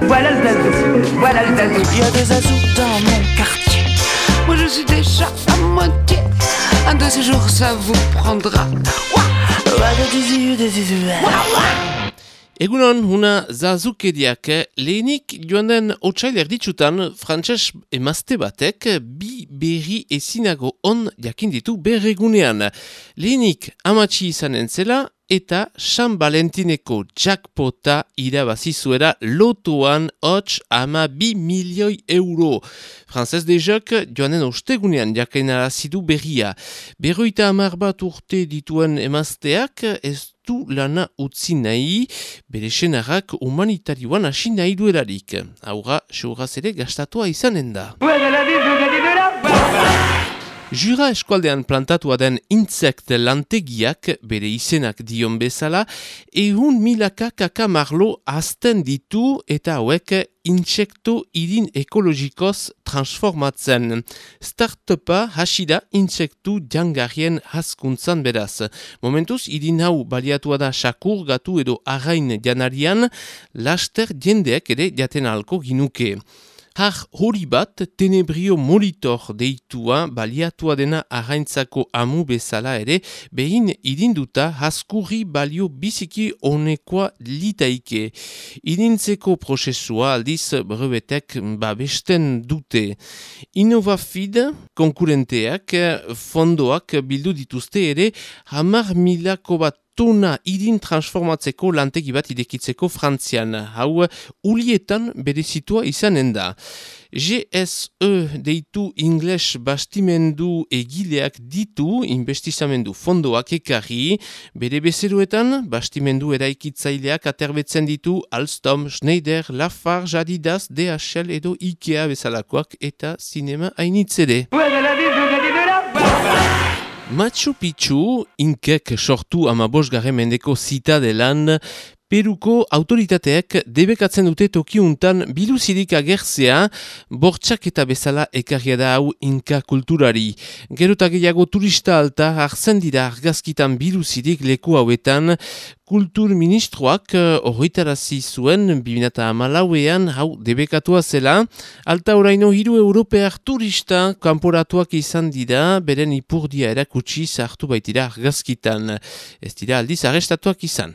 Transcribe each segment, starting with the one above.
Voilà le zazou, voilà le zazou. Il y a des zazous dans mon quartier. Moi je suis déjà à moitié. Un de ces jours ça vous prendra. Egunon, una zazukeriak lehenik joan den otsail erditsutan frantses emazte batek bi berri ezinago on jakin ditu berregunean. Lehenik amatxi izanen zela eta San Valentineko jackpota irabazi zuera lotoan hots 2 milioi euro. Frances Dejok joanen ostegunean jakinarazi du berria. 50 bat urte dituen emazteak ez du lana utzi nahi, bere senarrak humanitarioan hasi nahi duelarik. Haura, seuraz ere gastatua izanen da. Jura eskualdean plantatua den insekt lantegiak, bere izenak dion bezala, 100.000 kakamarlo azten ditu eta hauek intsekto irin ekologikoz transformatzen. Startupa hasi da intsektu jangarrien hazkuntzan beraz. Momentuz, irin hau baliatua da sakur, gatu edo arrain janarian, laster jendeak ere jaten ahalko ginuke. Har hori bat, tenebrio monitor deitua baliatua dena arraintzako amu bezala ere, behin irinduta haskurri balio biziki honekoa litaike. Irintzeko prozesua aldiz brevetek babesten dute. Innovafid konkurenteak fondoak bildu dituzte ere 10.000 bat tona irin transformatzeko lantegi bat idekitzeko Frantzian. Hau, ulietan berezitua izanen da. GSE deitu ingles bastimendu egileak ditu investizamendu fondoak ekarri, bere bezeroetan bastimendu eraikitzaileak aterbetzen ditu Alstom, Schneider, Lafarge, Adidas, DHL edo Ikea bezalakoak eta zinema hainitzede. Machu Picchu, inkek sortu 15. mendeko zitadelan, Peruko autoritateek debekatzen dute tokiuntan biluzirik agertzea, bortxak eta bezala ekarria da hau inka kulturari. Gerota gehiago turista alta hartzen dira argazkitan biluzirik leku hauetan, Kultur ministroak horretarazi zuen 2014an hau debekatua zela, alta oraino 3 europear turista kanporatuak izan dira, beren ipurdia erakutsi sartu baitira argazkitan. Ez dira aldiz arrestatuak izan.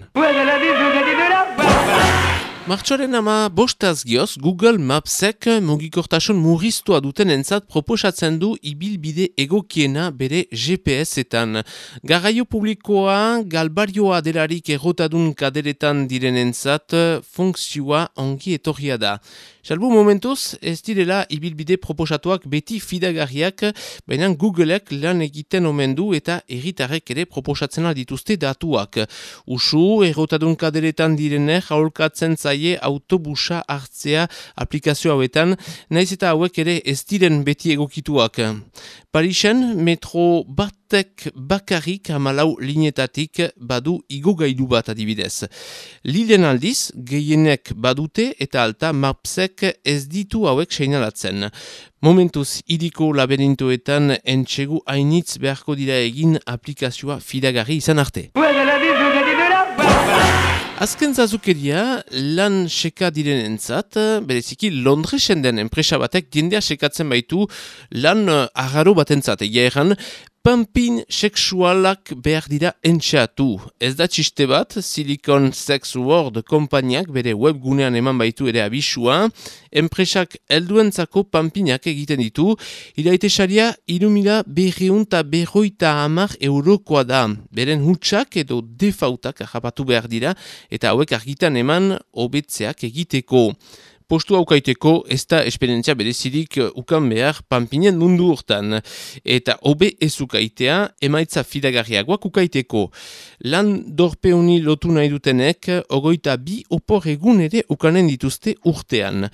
Martxoaren 15 gioz, Google Mapsek mugikortasun murriztua duten entzat proposatzen du ibilbide egokiena bere GPS-etan. Garraio publikoa galbarioa delarik errotadun kaderetan diren entzat funkzioa ongi etorria da. Salbu momentuz, ez direla ibilbide proposatuak beti fidagarriak, baina Googleek lan egiten omen du eta herritarrek ere proposatzen dituzte datuak. Usu, errotadun kaderetan direnek aholkatzen zaie autobusa hartzea aplikazio hauetan, naiz eta hauek ere ez diren beti egokituak. Parisen, metro batek bakarrik 14 linetatik badu igogailu bat adibidez. Liden aldiz, gehienek badute eta alta Mapsek ez ditu hauek seinalatzen. Momentuz, hiriko laberintoetan entxegu hainitz beharko dira egin aplikazioa fidagarri izan arte. Azken zazukeria, lan seka direnentzat, bereziki Londresen den enpresa batek jendea sekatzen baitu lan arraro batentzat. Egia erran, pampin sexualak behar dira entxeatu. Ez da txiste bat, Silicon Sex World konpainiak bere webgunean eman baitu ere abisua, enpresak helduentzako pampinak egiten ditu, iraitesaria 3.250 eurokoa da. Beren hutsak edo defautak harrapatu behar dira, eta hauek argitan eman hobetzeak egiteko. Postu aukaiteko ez da esperientzia berezirik ukan behar pampinen mundu hortan. Eta hobe ez ukaitea emaitza fidagarriagoak ukaiteko. Lan dorpeuni lotu nahi dutenek 22 opor egun ere ukanen dituzte urtean.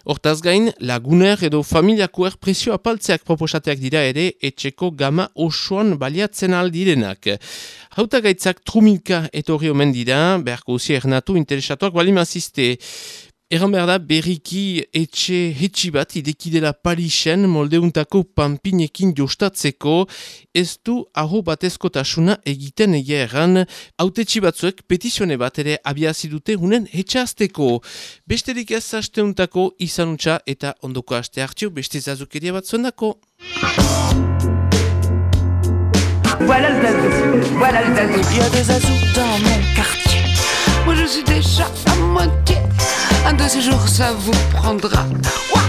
Hortaz gain, laguner edo familiakoer presio apaltzeak proposateak dira ere etxeko gama osoan baliatzen aldirenak. Hautagaitzak trumilka etorri omen dira, beharko usi ernatu interesatuak balimazizte. Erran behar da, berriki etxe hetxi bat idekidela Parisen moldeuntako panpinekin jostatzeko, ez du aho batezkotasuna egiten egia erran, hautetxi batzuek petizione bat ere abiazi dute hunen hetxazteko. Besterik ez asteuntako izanutza eta ondoko aste hartio beste zazukeria bat zuendako. Voilà le zazou, voilà le zazou. Il y a des azous dans mon quartier. Moi je suis déjà à moitié. Un de ces jours ça vous prendra. Ouah.